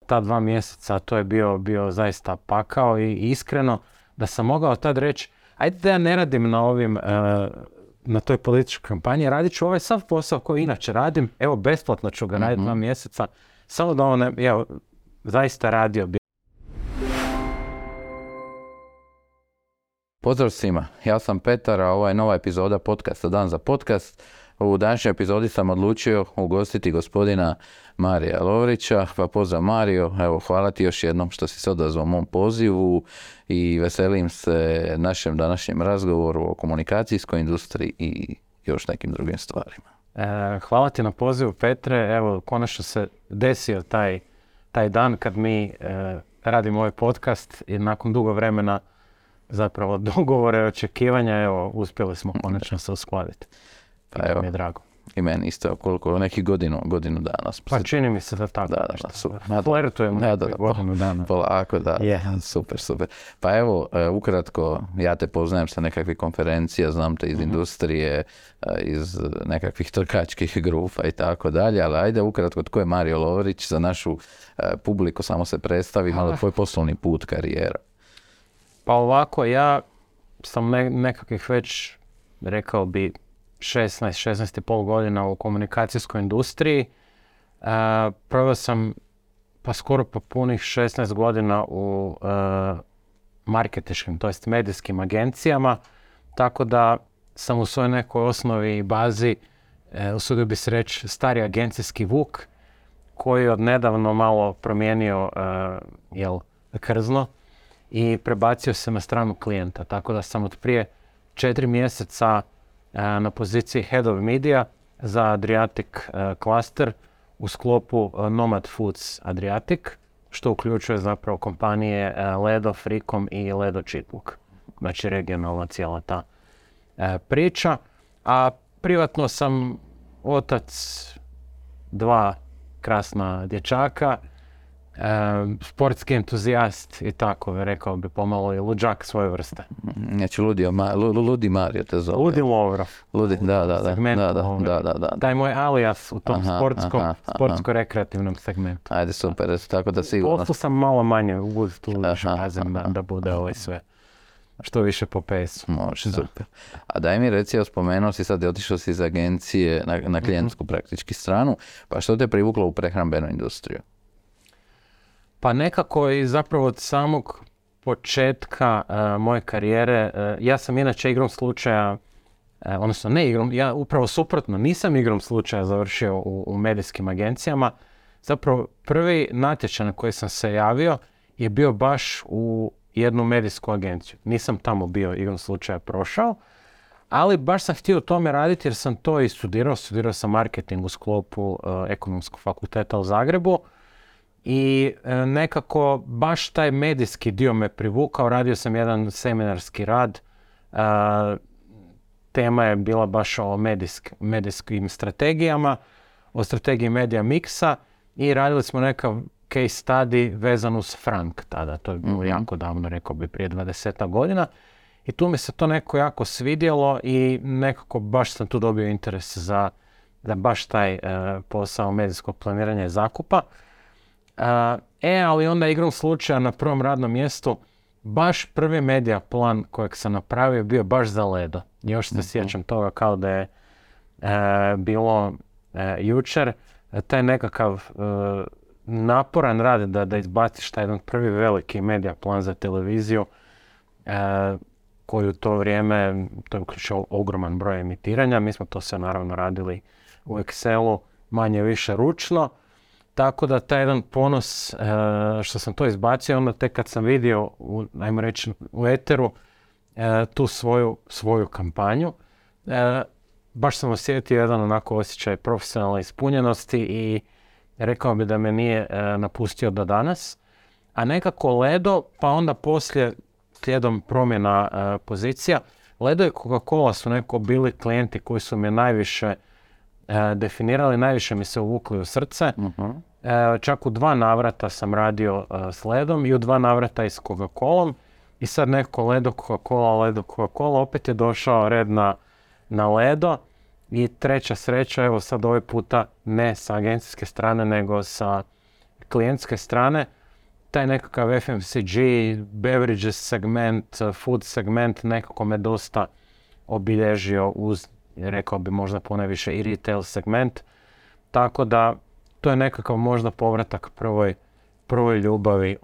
ta 2 mjeseca, to je bio zaista pakao i iskreno da sam mogao tad reći, ajde da ja ne radim na ovim, na toj političkoj kampanji, radit ću ovaj sav posao koji inače radim, evo besplatno ću ga raditi 2 mjeseca, samo da on, evo, zaista radio bi. Pozdrav svima, ja sam Petar, a ovo je nova epizoda podcasta Dan za podcast. U današnjoj epizodi sam odlučio ugostiti gospodina Marija Lovrića, pa pozdrav Mario, evo hvala ti još jednom što si se odazvao mom pozivu i veselim se našem današnjem razgovoru o komunikacijskoj industriji i još nekim drugim stvarima. Hvala ti na pozivu, Petre, evo konačno se desio taj dan kad mi radimo ovaj podcast i nakon dugo vremena zapravo dogovore, očekivanja, evo, uspjeli smo konačno se uskladiti. Pa evo, mi je drago. I meni isto, koliko, nekih godinu dana. Pa čini mi se da tako. Da, super. Flertujemo godinu dana. Polako, da. Super. Pa evo, ukratko, ja te poznajem sa nekakvih konferencija, znam te iz industrije, iz nekakvih trkačkih grupa i tako dalje, ali ajde ukratko, tko je Mario Lovrić za našu publiku, samo se predstavi, malo tvoj poslovni put, karijera. Pa ovako, ja sam nekakvih već, rekao bi, 16,5 godina u komunikacijskoj industriji. Proveo sam pa skoro po punih 16 godina u marketinškim, to jest medijskim agencijama, tako da sam u svojoj nekoj osnovi i bazi, usudio bi se reći, stari agencijski vuk koji je odnedavno malo promijenio krzno i prebacio se na stranu klijenta, tako da sam od prije 4 mjeseca na poziciji Head of Media za Adriatic Cluster u sklopu Nomad Foods Adriatic, što uključuje zapravo kompanije Ledo, Frikom i Ledo Čitluk. Znači regionalna cijela ta priča. A privatno sam otac 2 krasna dječaka, sportski entuzijast i tako, rekao bi pomalo i luđak svoje vrste. Znači Ludi Mario te zove. Ludi Lovro. Da. Taj moj alias u tom sportsko-rekreativnom segmentu. Ajde, super, tako da sigurno. Poslu sam malo manje uz tu razem da bude ovo sve što više po pesu. Može, super. A daj mi reci, spomenuo si sad, otišao si iz agencije na klijentsku praktički stranu, pa što te privuklo u prehrambenu industriju? Pa nekako i zapravo od samog početka moje karijere, ja sam inače igrom slučaja, odnosno ne igrom, ja upravo suprotno, nisam igrom slučaja završio u medijskim agencijama. Zapravo prvi natječaj na koji sam se javio je bio baš u jednu medijsku agenciju. Nisam tamo bio igrom slučaja prošao, ali baš sam htio u tome raditi jer sam to i studirao sam marketing u sklopu Ekonomskog fakulteta u Zagrebu. I nekako baš taj medijski dio me privukao, radio sam jedan seminarski rad, tema je bila baš o medijskim strategijama, o strategiji medija miksa i radili smo nekav case study vezan uz Frank tada, to je bilo jako davno, rekao bi prije 20 godina i tu mi se to neko jako svidjelo i nekako baš sam tu dobio interes za baš taj posao medijskog planiranja i zakupa. Ali onda igrom slučaja na prvom radnom mjestu baš prvi medija plan kojeg sam napravio bio baš za Ledo. Još se sjećam toga kao da je bilo jučer. Taj nekakav naporan rad da izbaciš taj jedan prvi veliki medija plan za televiziju koji u to vrijeme, to je uključio ogroman broj emitiranja. Mi smo to sve naravno radili u Excelu, manje više ručno. Tako da taj jedan ponos što sam to izbacio, onda tek kad sam vidio, ajmo reći, u eteru tu svoju kampanju, baš sam osjetio jedan onako osjećaj profesionalne ispunjenosti i rekao bi da me nije napustio do danas. A nekako Ledo, pa onda poslije slijedom promjena pozicija, Ledo i Coca-Cola su neko bili klijenti koji su me najviše definirali, najviše mi se uvukli u srce. Čak u 2 navrata sam radio s Ledom i u 2 navrata i s Coca-Colom. I sad neko Ledo, Coca-Cola, opet je došao red na Ledo. I treća sreća, evo sad ovaj puta ne sa agencijske strane, nego sa klijentske strane, taj nekakav FMCG, beverages segment, food segment nekako me dosta obilježio uz, rekao bi možda ponajviše i retail segment. Tako da to je nekakav možda povratak prvoj ljubavi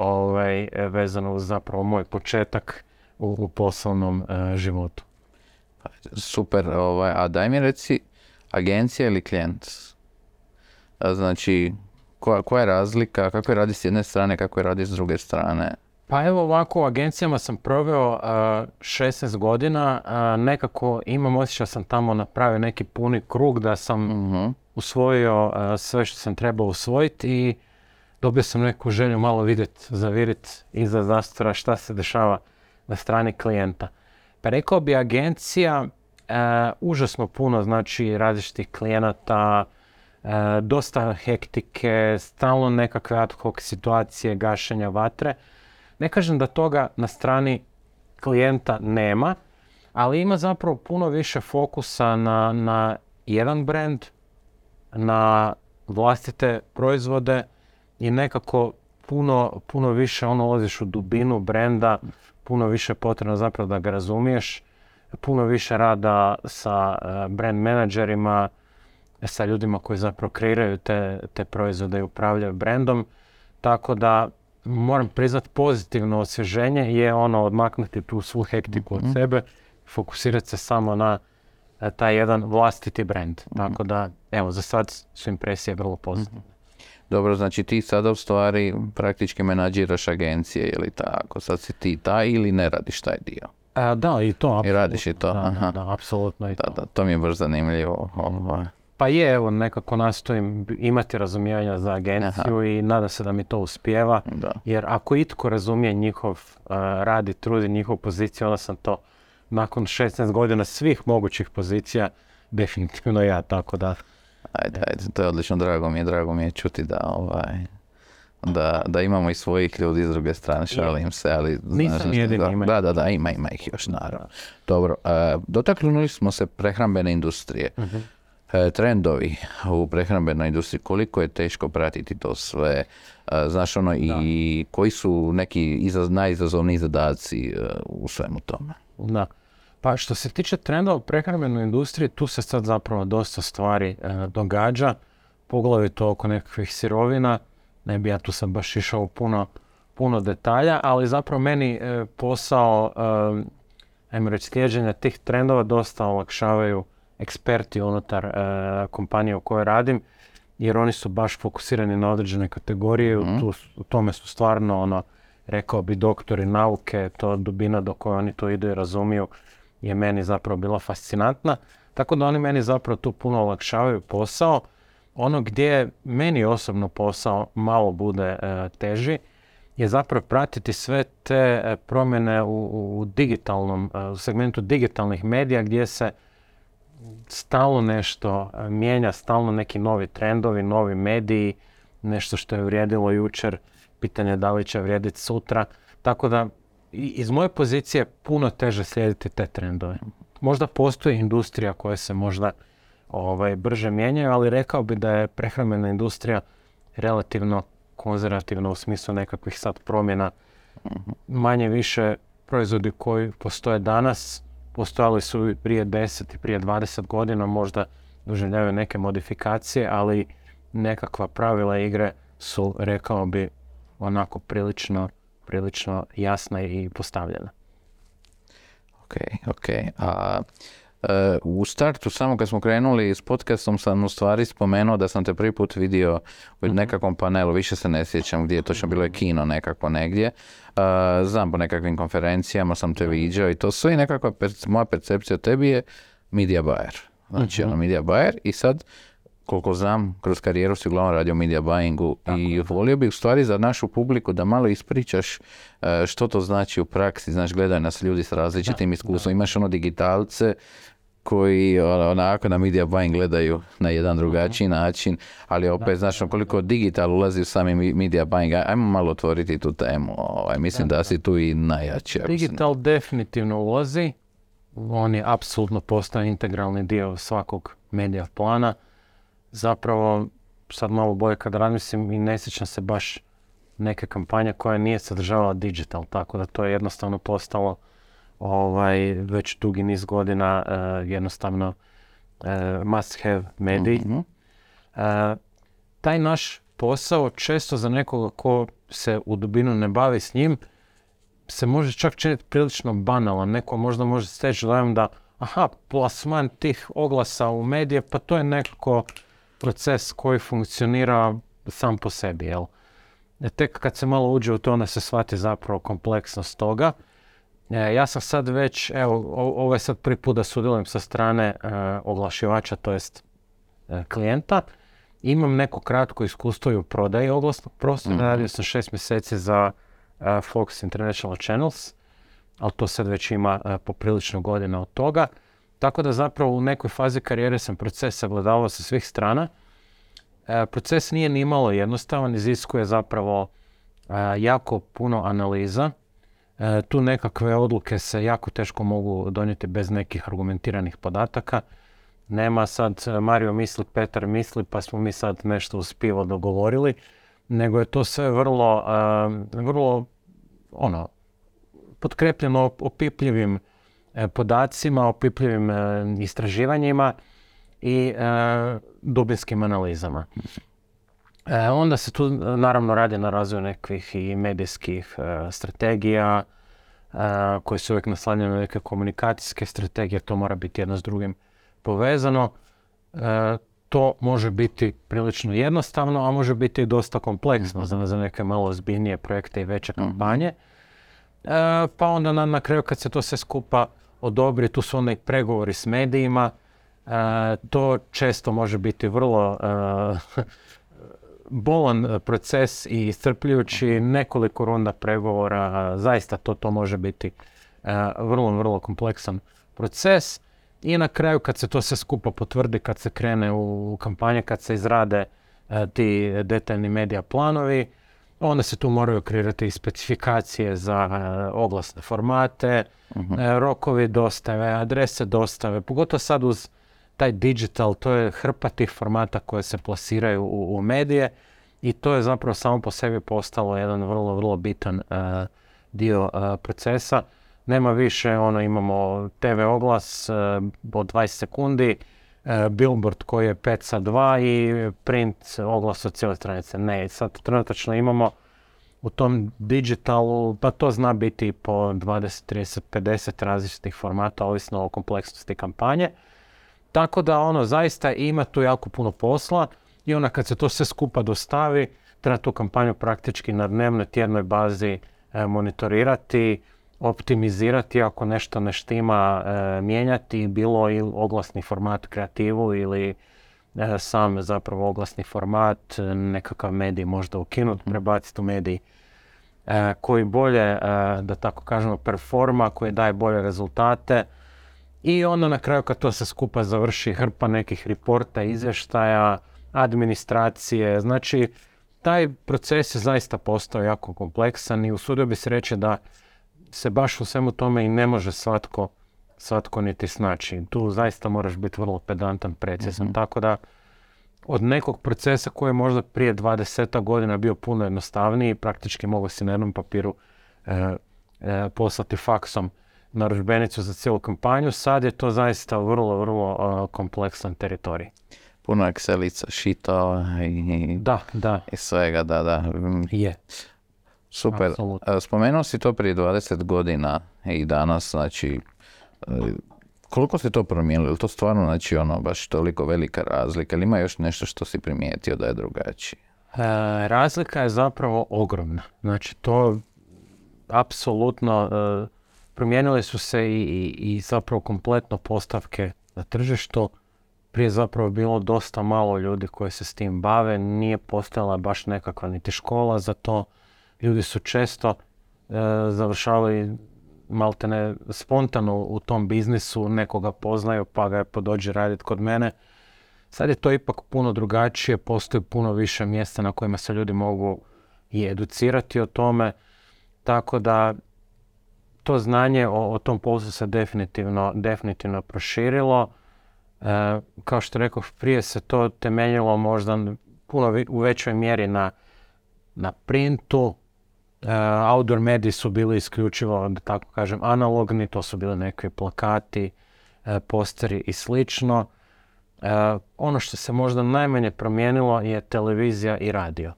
vezano uz zapravo moj početak u poslovnom životu. Super, a daj mi reci, agencija ili klijent? Znači, koja je razlika, kako je radi s jedne strane, kako je radi s druge strane? Pa evo ovako, u agencijama sam proveo 16 godina, nekako imam osjećaj sam tamo napravio neki puni krug da sam usvojio sve što sam trebao usvojiti i dobio sam neku želju malo vidjeti, zaviriti iza zastora šta se dešava na strani klijenta. Pa rekao bi agencija, užasno puno znači različitih klijenata, dosta hektike, stalno nekakve ad hoc situacije, gašenja vatre. Ne kažem da toga na strani klijenta nema, ali ima zapravo puno više fokusa na jedan brand, na vlastite proizvode i nekako puno više ulaziš u dubinu brenda, puno više potrebno zapravo da ga razumiješ, puno više rada sa brand menadžerima, sa ljudima koji zapravo kreiraju te proizvode i upravljaju brandom. Tako da moram priznati pozitivno osvježenje je odmaknuti tu svu hektiku od sebe, fokusirati se samo na taj jedan vlastiti brand. Tako da, evo, za sad su impresije vrlo pozitivne. Dobro, znači ti sada u stvari praktički menadžiraš agencije, je li tako? Sad si ti taj ili ne radiš taj dio? Da, i to apsolutno. I radiš i to? Da, apsolutno i to. Da, to mi je baš zanimljivo. Pa je, evo, nekako nastojim imati razumijevanja za agenciju i nadam se da mi to uspijeva. Da. Jer ako itko razumije njihov rad i trud i njihovu poziciju, onda sam to nakon 16 godina svih mogućih pozicija definitivno ja, tako da... Ajde, to je odlično, drago mi je čuti da imamo i svojih ljudi s druge strane, šalim se, ali... Nisam jedini, Da, ima ih još, naravno. Dobro, dotaknuli smo se prehrambene industrije. Trendovi u prehrambenoj industriji, koliko je teško pratiti to sve, znaš i koji su neki najizazovniji zadaci u svemu tome? Da. Pa što se tiče trendova u prehrambenoj industriji, tu se sad zapravo dosta stvari događa, poglavito oko nekakvih sirovina. Ne bi ja tu sad baš išao u puno detalja, ali zapravo meni posao, ajmo reći, slijeđenja tih trendova dosta olakšavaju eksperti unutar kompanije u kojoj radim, jer oni su baš fokusirani na određene kategorije, u tome su stvarno, rekao bi, doktori nauke, to dubina do koje oni to idu i razumiju je meni zapravo bila fascinantna. Tako da oni meni zapravo tu puno olakšavaju posao. Ono gdje meni osobno posao malo bude teži je zapravo pratiti sve te promjene u digitalnom, u segmentu digitalnih medija gdje se stalno nešto mijenja, stalno neki novi trendovi, novi mediji, nešto što je vrijedilo jučer, pitanje da li će vrijediti sutra. Tako da iz moje pozicije puno teže slijediti te trendove. Možda postoji industrija koja se možda brže mijenjaju, ali rekao bi da je prehrambena industrija relativno konzervativna u smislu nekakvih sad promjena. Manje više proizvodi koji postoje danas, postojali su i prije 10 i prije 20 godina, možda doživljavaju neke modifikacije, ali nekakva pravila igre su, rekao bi, onako prilično jasna i postavljena. Ok. U startu, samo kad smo krenuli s podcastom, sam u stvari spomenuo da sam te prvi put vidio u nekakvom panelu, više se ne sjećam gdje je točno, bilo je kino nekako negdje. Znam, po nekakvim konferencijama sam te viđao i to sve i nekakva moja percepcija o tebi je media buyer. Znači, media buyer i sad, koliko znam, kroz karijeru si uglavnom radio media buyingu i volio bih u stvari za našu publiku da malo ispričaš što to znači u praksi, znaš, gledaju nas ljudi s različitim iskustvom, imaš digitalce koji onako na media buying gledaju na jedan drugačiji način, ali opet, znaš, koliko digital ulazi u sami media buying, ajmo malo otvoriti tu temu, mislim da si tu i najjači. Digital definitivno ulazi, on je apsolutno postao integralni dio svakog medija plana. Zapravo, sad malo bolje kad razmislim i ne sjećam se baš neke kampanje koja nije sadržavala digital, tako da to je jednostavno postalo već dugi niz godina jednostavno must have medij. Taj naš posao često za nekoga ko se u dubinu ne bavi s njim se može čak činiti prilično banalan. Neko možda može steći dojam da plasman tih oglasa u medije, pa to je nekako proces koji funkcionira sam po sebi, jel? Tek kad se malo uđe u to, onda se shvati zapravo kompleksnost toga. Ja sam sad već, ovo je sad prvi put da sudjelujem sa strane oglašivača, to jest klijenta. Imam neko kratko iskustvo i u prodaji oglasnog prostora. Radio sam 6 mjeseci za Fox International Channels, ali to sad već ima poprilično godina od toga. Tako da zapravo u nekoj fazi karijere sam proces sagledavao sa svih strana. Proces nije ni malo jednostavan, iziskuje zapravo jako puno analiza. Tu nekakve odluke se jako teško mogu donijeti bez nekih argumentiranih podataka. Nema sad Mario misli, Petar misli, pa smo mi sad nešto uz pivo dogovorili, nego je to sve vrlo potkrepljeno opipljivim podacima, opipljivim istraživanjima i dubinskim analizama. Onda se tu naravno radi na razvoju nekih i medijskih strategija koje su uvijek naslanjene na neke komunikacijske strategije, to mora biti jedno s drugim povezano. To može biti prilično jednostavno, a može biti i dosta kompleksno za neke malo ozbiljnije projekte i veće kampanje. Pa onda na kraju kad se to sve skupa odobri, tu su onda i pregovori s medijima. To često može biti vrlo bolan proces i iscrpljujući, nekoliko runda pregovora. Zaista to može biti vrlo kompleksan proces. I na kraju kad se to sve skupa potvrdi, kad se krene u kampanje, kad se izrade ti detaljni medija planovi, onda se tu moraju kreirati i specifikacije za oglasne formate, rokovi dostave, adrese dostave, pogotovo sad uz taj digital, to je hrpa tih formata koje se plasiraju u medije i to je zapravo samo po sebi postalo jedan vrlo bitan dio procesa. Nema više, imamo TV oglas od 20 sekundi, billboard koji je 5 sa 2 i print oglas od cijele stranice. Ne, sad trenutačno imamo u tom digitalu, pa to zna biti po 20, 30, 50 različitih formata, ovisno o kompleksnosti kampanje. Tako da zaista ima tu jako puno posla i onda kad se to sve skupa dostavi, treba tu kampanju praktički na dnevnoj, tjednoj bazi monitorirati, optimizirati ako nešto ne štima, mijenjati, bilo i oglasni format, kreativu ili sam zapravo oglasni format, nekakav medij možda ukinuti, prebaciti u medij koji bolje, da tako kažemo, performa, koji daje bolje rezultate. I onda na kraju kad to se skupa završi, hrpa nekih reporta, izvještaja, administracije. Znači, taj proces je zaista postao jako kompleksan i usudio bi se reći da se baš u svemu tome i ne može svatko niti snaći. Tu zaista moraš biti vrlo pedantan, precizan. Tako da od nekog procesa koji je možda prije 20 godina bio puno jednostavniji, praktički mogu si na jednom papiru poslati faksom narudžbenicu za cijelu kampanju, sad je to zaista vrlo kompleksan teritorij. Puno Excelica, šita i svega, da. Je. Super. Absolutno. Spomenuo si to prije 20 godina i danas, znači, koliko si to promijenilo? Je to stvarno, znači, baš toliko velika razlika? Ili ima još nešto što si primijetio da je drugačije? Razlika je zapravo ogromna. Znači, to apsolutno promijenile su se i zapravo kompletno postavke na tržištu. Prije zapravo bilo dosta malo ljudi koji se s tim bave, nije postojala baš nekakva niti škola za to. Ljudi su često završavali maltene spontano u tom biznisu, nekoga poznaju pa ga dođe raditi kod mene. Sad je to ipak puno drugačije, postoji puno više mjesta na kojima se ljudi mogu i educirati o tome, tako da to znanje o tom poslu se definitivno proširilo. Kao što rekao, prije se to temeljilo možda puno u većoj mjeri na printu. Outdoor mediji su bili isključivo, da tako kažem, analogni, to su bili nekakvi plakati, posteri i slično. Ono što se možda najmanje promijenilo je televizija i radio.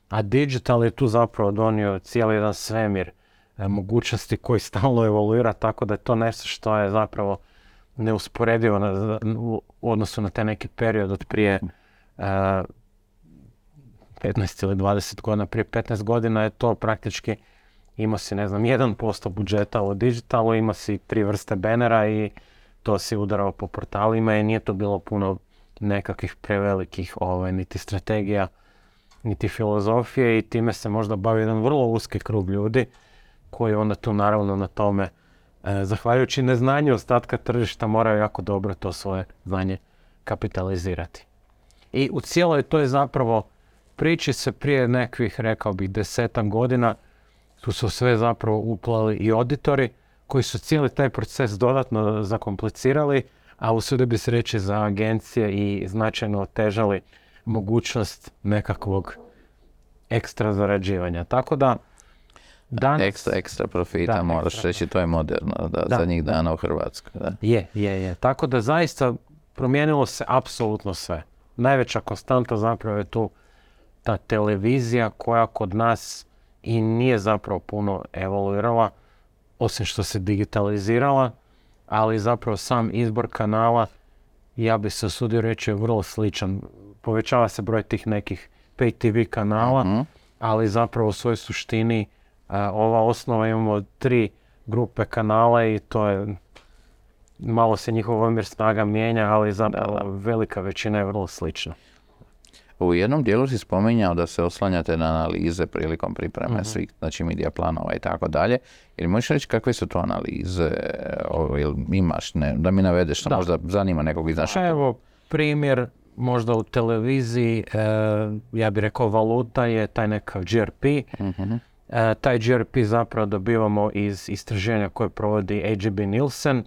A digital je tu zapravo donio cijeli jedan svemir mogućnosti koji stalno evoluira, tako da je to nešto što je zapravo neusporedivo u odnosu na taj neki period od prije 15 ili 20 godina. Prije 15 godina je to praktički, imao si 1% budžeta u digitalu, imao si 3 vrste benera i to si udarao po portalima i nije to bilo puno nekakvih prevelikih niti strategija, niti filozofije i time se možda bavi jedan vrlo uski krug ljudi koji onda tu naravno na tome, zahvaljujući neznanju ostatka tržišta, moraju jako dobro to svoje znanje kapitalizirati. I u cijeloj toj zapravo priči se prije nekvih, rekao bih, 10 godina tu su sve zapravo uplali i auditori koji su cijeli taj proces dodatno zakomplicirali, a usudio bi se reći za agencije i značajno otežali mogućnost nekakvog ekstra zarađivanja. Tako da danas... Ekstra profita, moraš reći, to je moderno zadnjih dana u Hrvatskoj. Da. Je. Tako da zaista promijenilo se apsolutno sve. Najveća konstanta zapravo je tu ta televizija koja kod nas i nije zapravo puno evoluirala, osim što se digitalizirala, ali zapravo sam izbor kanala, ja bi se usudio reći, je vrlo sličan. Povećava se broj tih nekih pay TV kanala, ali zapravo u svojoj suštini ova osnova, imamo 3 grupe kanala i to je, malo se njihov omjer snaga mijenja, ali zapravo velika većina je vrlo slična. U jednom dijelu si spominjao da se oslanjate na analize prilikom pripreme svih, znači medija planova i tako dalje. Ili možeš reći kakve su to analize, ili imaš, da mi navedeš što možda zanima nekog iz našeg? Evo, primjer, možda u televiziji, ja bih rekao valuta je taj nekav GRP. Taj GRP zapravo dobivamo iz istraživanja koje provodi AGB Nielsen.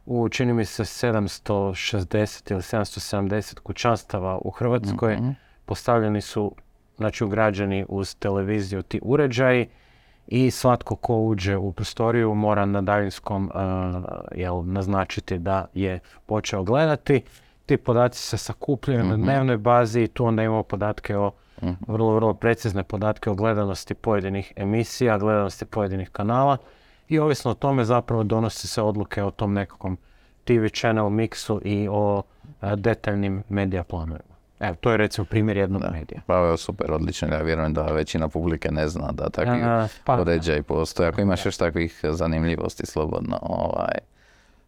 U, čini mi se, 760 ili 770 kućanstava u Hrvatskoj postavljeni su, znači ugrađeni uz televiziju ti uređaji i svatko ko uđe u prostoriju mora na daljinskom naznačiti da je počeo gledati. Ti podaci se sakupljaju na dnevnoj bazi i tu onda imamo podatke o vrlo precizne podatke o gledanosti pojedinih emisija, gledanosti pojedinih kanala i ovisno o tome zapravo donosi se odluke o tom nekakvom TV channel miksu i o detaljnim medija planovima. Evo, to je recimo primjer jednog medija. Pa ovo je super, odlično. Ja vjerujem da većina publike ne zna da takvi uređaji postoje. Ako imaš još takvih zanimljivosti, slobodno.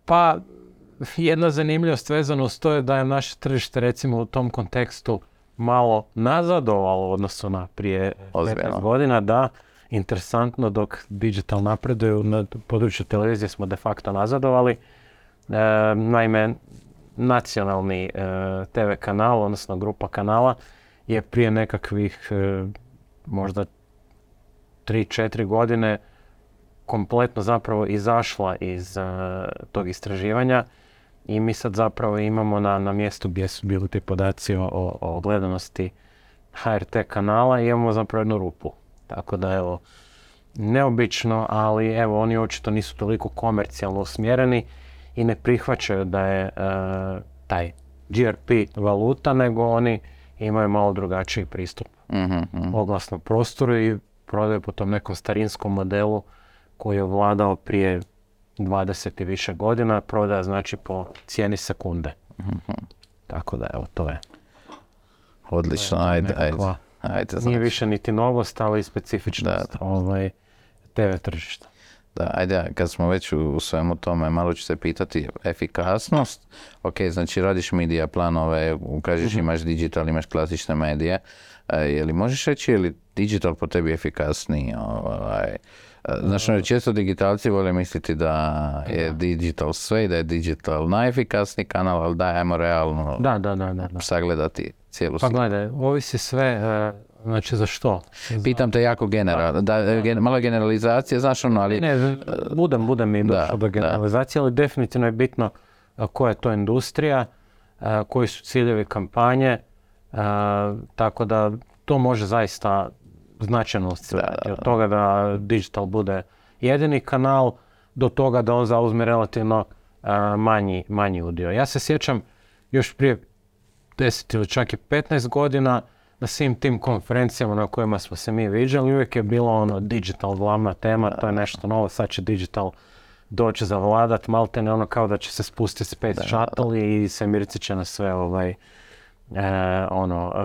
Pa, jedna zanimljivost vezana uz to je da je naše tržište recimo u tom kontekstu malo nazadovalo u odnosu na prije 15 godina, da, interesantno, dok digital napreduje na području televizije smo de facto nazadovali. Naime, nacionalni TV kanal, odnosno grupa kanala, je prije nekakvih možda 3-4 godine kompletno zapravo izašla iz tog istraživanja i mi sad zapravo imamo na mjestu gdje su bili ti podaci o gledanosti HRT kanala i imamo zapravo jednu rupu. Tako da evo, neobično, ali evo oni očito nisu toliko komercijalno usmjereni i ne prihvaćaju da je taj GRP valuta, nego oni imaju malo drugačiji pristup oglasnom prostoru i prodaju po tom nekom starinskom modelu koji je vladao prije 20 i više godina, prodaja znači po cijeni sekunde. Tako da evo, to je. Odlično, ajde. Nije više niti novost, ali i specifičnost TV tržišta. Da, ajde, kad smo već u svemu tome, malo ću se pitati efikasnost. Ok, znači radiš medija planove, kažeš imaš digital, imaš klasične medije. Je li možeš reći, je li digital po tebi efikasniji? Znači, često digitalci vole misliti da je digital sve i da je digital najefikasniji kanal, ali ajmo realno sagledati cijelu sliku. Pa gledaj, ovisi sve, znači za što? Pitam te jako generalno, malo generalizacija, znaš ono, ali... Ne, budem i došao do generalizacije, ali definitivno je bitno koja je to industrija, koji su ciljevi kampanje, Tako da to može zaista značajno oscilirati. Od toga da digital bude jedini kanal do toga da on zauzme relativno manji udio. Ja se sjećam još prije 10 ili čak i 15 godina na svim tim konferencijama na kojima smo se mi viđali, uvijek je bilo digital glavna tema, to je nešto novo, sad će digital doći zavladat, maltene ono kao da će se spustiti Space Shuttle i svemirci će nas sve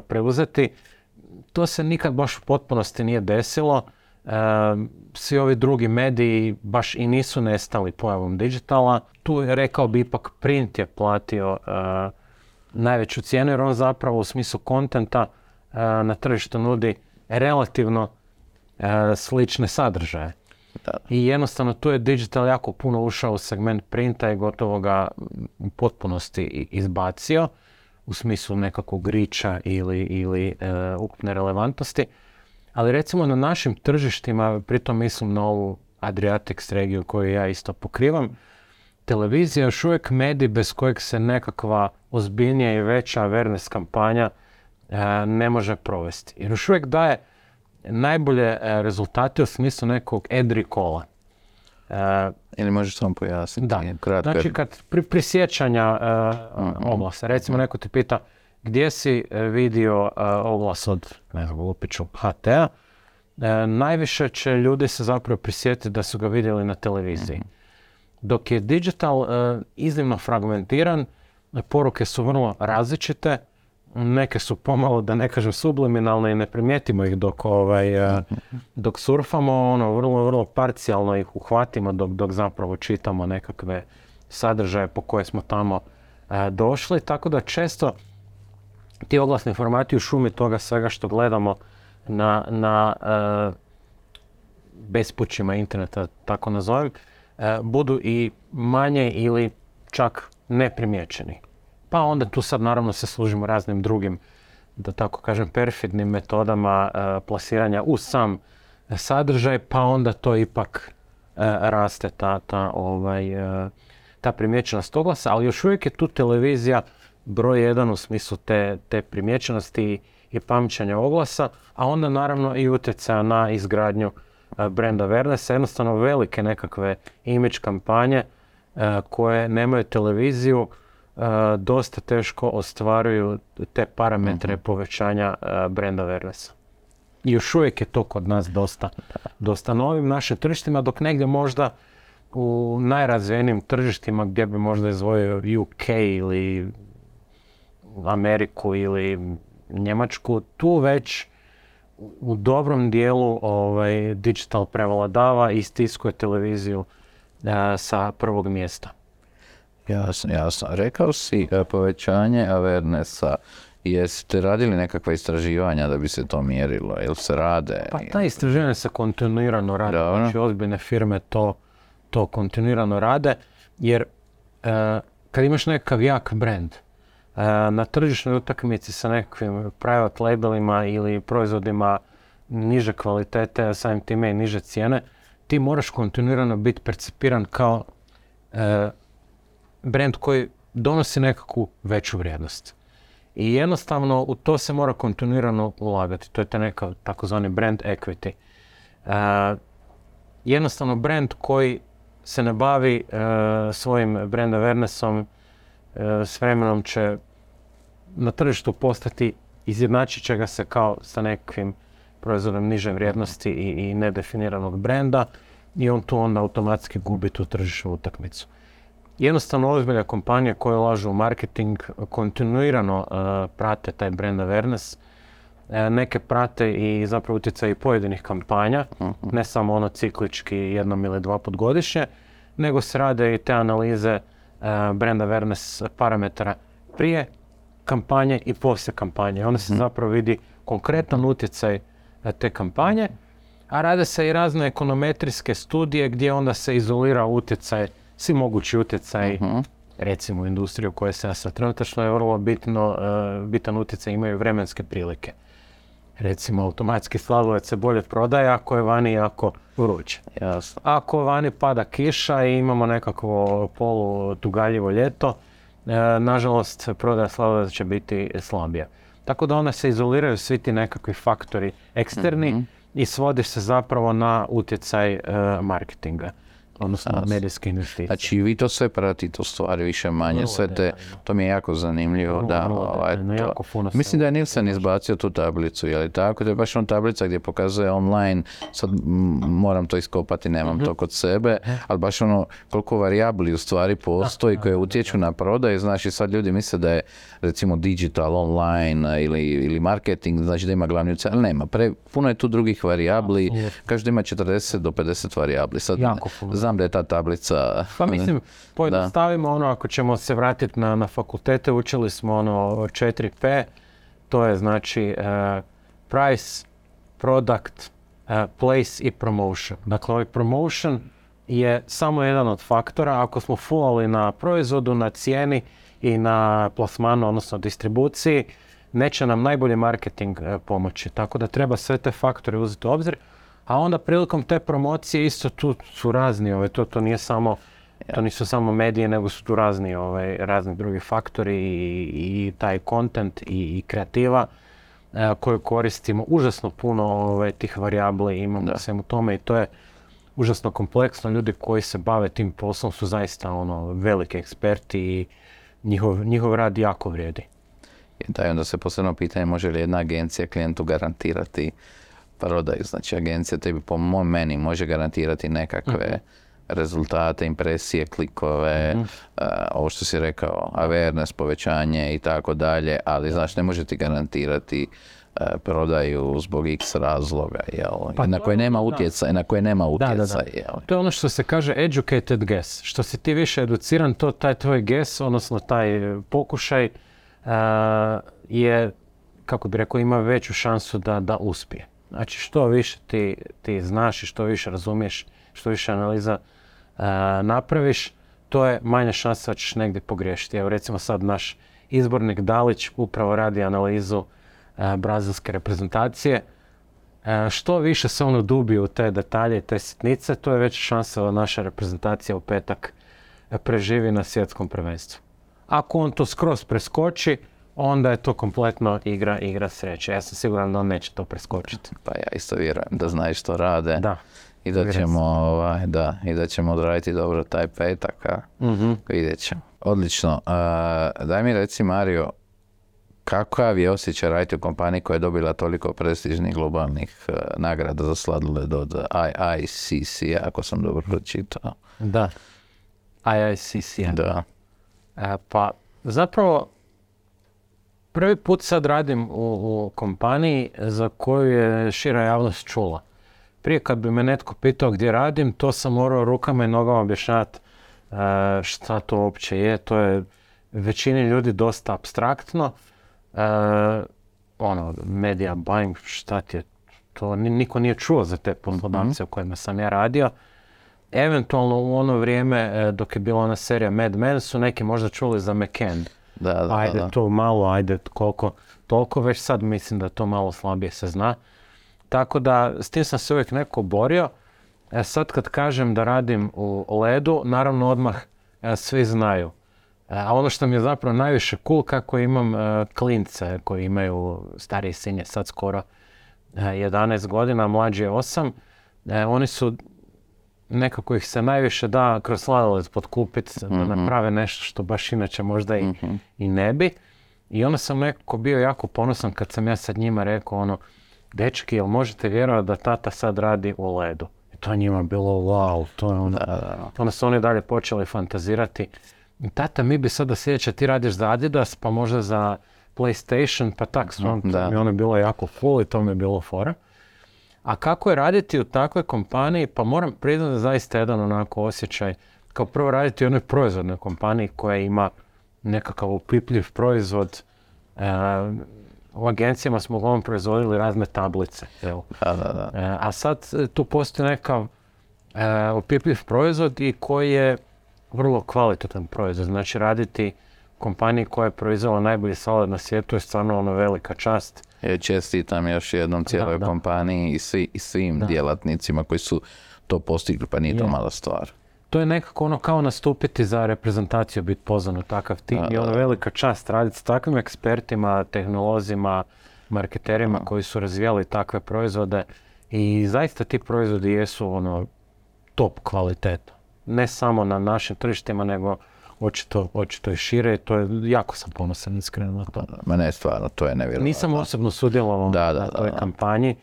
preuzeti. To se nikad baš u potpunosti nije desilo. Svi ovi drugi mediji baš i nisu nestali pojavom digitala. Tu je, rekao bi, ipak print je platio najveću cijenu, jer on zapravo u smislu kontenta na tržištu nudi relativno slične sadržaje. I jednostavno tu je digital jako puno ušao u segment printa i gotovo ga u potpunosti izbacio u smislu nekakvog riča ili ukupne relevantnosti. Ali recimo na našim tržištima, pritom mislim na ovu Adriatics regiju koju ja isto pokrivam, televizija je još uvijek medij bez kojeg se nekakva ozbiljnija i veća awareness kampanja ne može provesti. Jer još uvijek daje najbolje rezultate u smislu nekog ad recalla. Ili možeš samo pojasniti? Da, znači kad prisjećanja oglasa, recimo neko te pita gdje si vidio oglas od, ne znam, lupiću HT-a, najviše će ljudi se zapravo prisjetiti da su ga vidjeli na televiziji. Dok je digital iznimno fragmentiran, poruke su vrlo različite, neke su pomalo, da ne kažem, subliminalne i ne primijetimo ih dok surfamo, vrlo parcijalno ih uhvatimo dok zapravo čitamo nekakve sadržaje po koje smo tamo došli, tako da često ti oglasni formati u šumi toga svega što gledamo na bespućima interneta, tako nazovem, budu i manje ili čak neprimjećeni. Pa onda tu sad naravno se služimo raznim drugim, da tako kažem, perfidnim metodama plasiranja u sam sadržaj, pa onda to ipak raste ta primjećenost oglasa, ali još uvijek je tu televizija broj jedan u smislu te primjećenosti i pamćenja oglasa, a onda naravno i utjecaja na izgradnju brand awarenessa, jednostavno velike nekakve image kampanje koje nemaju televiziju, dosta teško ostvaruju te parametre povećanja brand awarenessa. I još uvijek je to kod nas dosta novim našim tržištima, dok negdje možda u najrazvijenijim tržištima gdje bi možda izdvojio UK ili Ameriku ili Njemačku, tu već u dobrom dijelu digital prevladava i stiskuje televiziju sa prvog mjesta. Jasno. Rekao si povećanje awarenessa. Jeste radili nekakva istraživanja da bi se to mjerilo? Jel se rade? Pa ta istraživanja se kontinuirano rade. Znači ozbiljne firme to kontinuirano rade, jer kad imaš nekakav jak brand, na tržišnoj utakmici sa nekakvim private labelima ili proizvodima niže kvalitete, samim time i niže cijene, ti moraš kontinuirano biti percipiran kao brand koji donosi nekakvu veću vrijednost. I jednostavno u to se mora kontinuirano ulagati. To je taj neka takozvani brand equity. Jednostavno brand koji se ne bavi svojim brand awarenessom s vremenom će na tržištu postati, izjednačit će ga se kao sa nekakvim proizvodom niže vrijednosti i nedefiniranog brenda i on tu onda automatski gubi tu tržišnu utakmicu. Jednostavno ozbiljne kompanije koje ulažu u marketing kontinuirano prate taj brand awareness. Neke prate i zapravo utjecaj pojedinih kampanja, ne samo ciklički jednom ili dva put godišnje, nego se rade i te analize brand awareness parametara prije kampanje i poslije kampanje. Onda se zapravo vidi konkretan utjecaj te kampanje, a rade se i razne ekonometrijske studije gdje onda se izolira utjecaj, svi mogući utjecaj, recimo u industriju u kojoj se ja sad trenutačno je vrlo bitan utjecaj, imaju vremenske prilike. Recimo, automatski sladoled se bolje prodaje ako je vani jako vruće. Jasno. Ako vani pada kiša i imamo nekakvo polutugaljivo ljeto, nažalost, prodaja sladoleda će biti slabija. Tako da onda se izoliraju svi ti nekakvi faktori eksterni i svodi se zapravo na utjecaj marketinga, odnosno medijske investicije. Znači vi to sve pratite u stvari više manje, sve te, to mi je jako zanimljivo. Mislim da je Nielsen izbacio tu tablicu, je li tako? To je baš on tablica gdje pokazuje online, sad moram to iskopati, nemam to kod sebe, ali baš ono koliko varijabli u stvari postoji koje utječu na prodaju, znači sad ljudi misle da je recimo digital, online ili marketing, znači da ima glavni utjecaj, ali nema, puno je tu drugih varijabli, kaže da ima 40 do 50 varijabli, sad znam da je ta tablica... Pa mislim, pojednostavimo ako ćemo se vratiti na fakultete, učili smo 4P, to je znači price, product, place i promotion. Dakle, ovaj promotion je samo jedan od faktora. Ako smo fulali na proizvodu, na cijeni i na plasmanu, odnosno distribuciji, neće nam najbolji marketing pomoći. Tako da treba sve te faktore uzeti u obzir. A onda prilikom te promocije isto tu su razni, to nije samo, to nisu samo medije, nego su tu razni drugi faktori i taj content i kreativa koju koristimo. Užasno puno tih varijabli imamo svemu tome i to je užasno kompleksno. Ljudi koji se bave tim poslom su zaista veliki eksperti i njihov rad jako vrijedi. Da, i onda se posebno pitanje može li jedna agencija klijentu garantirati prodaju. Znači agencija tebi po meni može garantirati nekakve rezultate, impresije, klikove, ovo što si rekao, awareness, povećanje i tako dalje, ali znači ne može ti garantirati prodaju zbog x razloga, na koje nema utjecaj, To je ono što se kaže educated guess. Što si ti više educiran, to taj tvoj guess, odnosno taj pokušaj je, kako bi rekao, ima veću šansu da uspije. Znači što više ti znaš i što više razumiješ, što više analiza napraviš, to je manja šansa da ćeš negdje pogriješiti. Evo recimo sad naš izbornik Dalić upravo radi analizu brazilske reprezentacije. Što više se on udubije u te detalje i te sitnice, to je veća šansa da naša reprezentacija u petak preživi na svjetskom prvenstvu. Ako on to skroz preskoči, onda je to kompletno igra sreće. Ja sam siguran da on neće to preskočiti. Pa ja isto vjerujem da znaju što rade i da ćemo odraditi dobro taj petak. Vidjet ćemo. Odlično. Daj mi reci, Mario, kakav je osjećaj raditi u kompaniji koja je dobila toliko prestižnih globalnih nagrada za sladoled od IICC, ako sam dobro pročitao. Da, IICC. Da. Pa zapravo prvi put sad radim u kompaniji za koju je šira javnost čula. Prije kad bi me netko pitao gdje radim, to sam morao rukama i nogama objašnjavati šta to uopće je. To je većini ljudi dosta apstraktno. Media buying, šta ti je to? Niko nije čuo za te poslodavce u kojima sam ja radio. Eventualno u ono vrijeme dok je bila ona serija Mad Men su neki možda čuli za McCann. Ajde to malo, ajde koliko toliko, već sad mislim da to malo slabije se zna. Tako da s tim sam se uvijek neko borio. Sad kad kažem da radim u ledu, naravno odmah svi znaju. A ono što mi je zapravo najviše cool, kako imam klince koji imaju, stariji sin je sad skoro 11 godina, mlađi je 8. Oni su, nekako ih se najviše da kroz sladoled potkupiti, da naprave nešto što baš inače možda i ne bi. I onda sam nekako bio jako ponosan kad sam ja sad njima rekao dečki, jel možete vjerovati da tata sad radi u ledu? I to njima bilo wow, to je onda su oni dalje počeli fantazirati. Tata, mi bi sada sljedeće, ti radiš za Adidas, pa možda za PlayStation, pa tak, to mi je bilo jako cool i to mi je bilo fora. A kako je raditi u takvoj kompaniji, pa moram priznati da zaista jedan onako osjećaj, kao prvo raditi u jednoj proizvodnoj kompaniji koja ima nekakav opipljiv proizvod. U agencijama smo uglavnom proizvodili razne tablice. A sad tu postoji nekav opipljiv proizvod i koji je vrlo kvalitetan proizvod. Znači raditi u kompaniji koja je proizvela najbolji sladoled na svijetu je stvarno velika čast. Čestitam još jednom cijeloj kompaniji i svim djelatnicima koji su to postigli, pa nije to mala stvar. to je nekako ono kao nastupiti za reprezentaciju, biti pozvan u takav tim i ono velika čast raditi s takvim ekspertima, tehnolozima, marketerima koji su razvijali takve proizvode i zaista ti proizvodi jesu ono top kvaliteta. Ne samo na našim tržištima, nego očito i šire. To je, jako sam ponosan iskreno na to. Mene je stvarno, to je nevjerojatno. Nisam osobno sudjelovao na toj kampanji,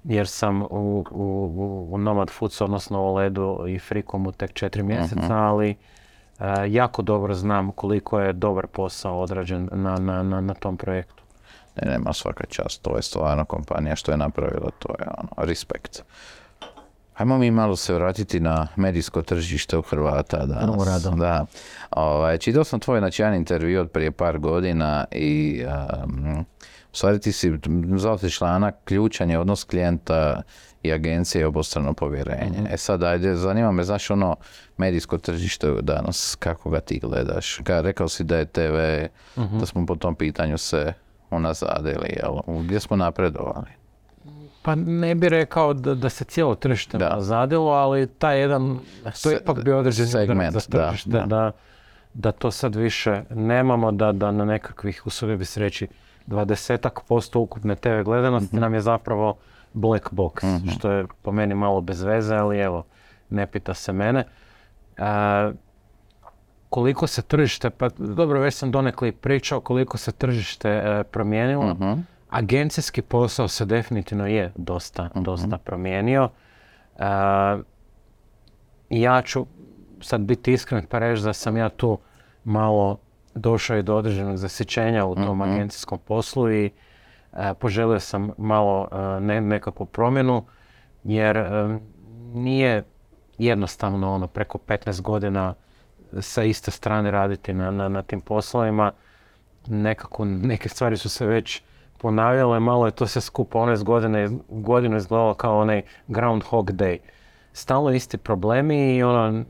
jer sam u Nomad Foods, odnosno u Ledu i Frikomu tek 4 mjeseca, ali jako dobro znam koliko je dobar posao odrađen na tom projektu. Nema svaka čast, to je stvarno kompanija što je napravila, to je respekt. Hajmo mi malo se vratiti na medijsko tržište u Hrvata danas. Da. Čitao sam tvoj jedan intervju od prije par godina i u stvari ti si zvao si članak ključan je odnos klijenta i agencije i obostrano povjerenje. Sad ajde, zanima me, znaš medijsko tržište danas, kako ga ti gledaš? Rekao si da je TV, da smo po tom pitanju se unazadili, gdje smo napredovali? Pa ne bi rekao da se cijelo tržište nazadilo, ali taj jedan, to je ipak bio određen segment za tržište, da to sad više nemamo, da na nekakvih, usudio bi se reći, 20% ukupne TV gledanosti nam je zapravo black box, što je po meni malo bez veze, ali evo, ne pita se mene. Koliko se tržište, pa dobro, već sam donekle pričao koliko se tržište promijenilo. Agencijski posao se definitivno je dosta promijenio. Ja ću sad biti iskren pa reći da sam ja tu malo došao i do određenog zasićenja u tom agencijskom poslu i poželio sam malo nekakvu promjenu, jer nije jednostavno preko 15 godina sa iste strane raditi na tim poslovima. Nekako neke stvari su se već ponavljale, malo je to sve skupa godinu izgledalo kao onaj Groundhog Day. Stalno isti problemi i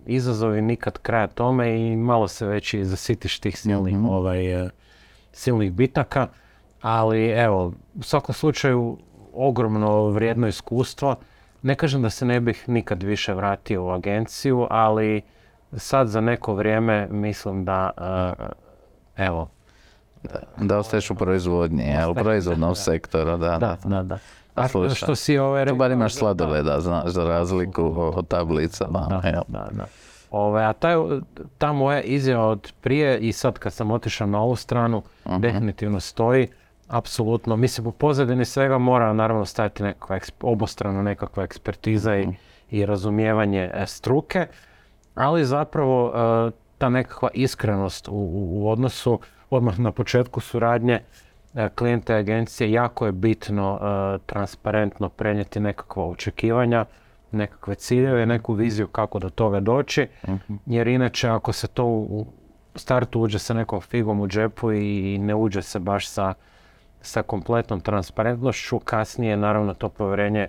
izazovi nikad kraja tome i malo se već i zasitiš tih silnih bitaka. Ali evo, u svakom slučaju ogromno vrijedno iskustvo. Ne kažem da se ne bih nikad više vratio u agenciju, ali sad za neko vrijeme mislim da da ostaješ u proizvodnji, u proizvodnom sektoru, da. A što si tu bar imaš sladoleda, znaš, za razliku od tablica. A ta moja izjava od prije i sad kad sam otišao na ovu stranu, definitivno stoji. Apsolutno. Mislim, u pozadini svega mora naravno stajati obostrano nekakva ekspertiza i razumijevanje struke, ali zapravo ta nekakva iskrenost u odnosu odmah na početku suradnje klijenta i agencije, jako je bitno transparentno prenijeti nekakva očekivanja, nekakve ciljeve, neku viziju kako do toga doći, jer inače ako se to u startu uđe sa nekom figom u džepu i ne uđe se baš sa kompletnom transparentnošću, kasnije naravno to povjerenje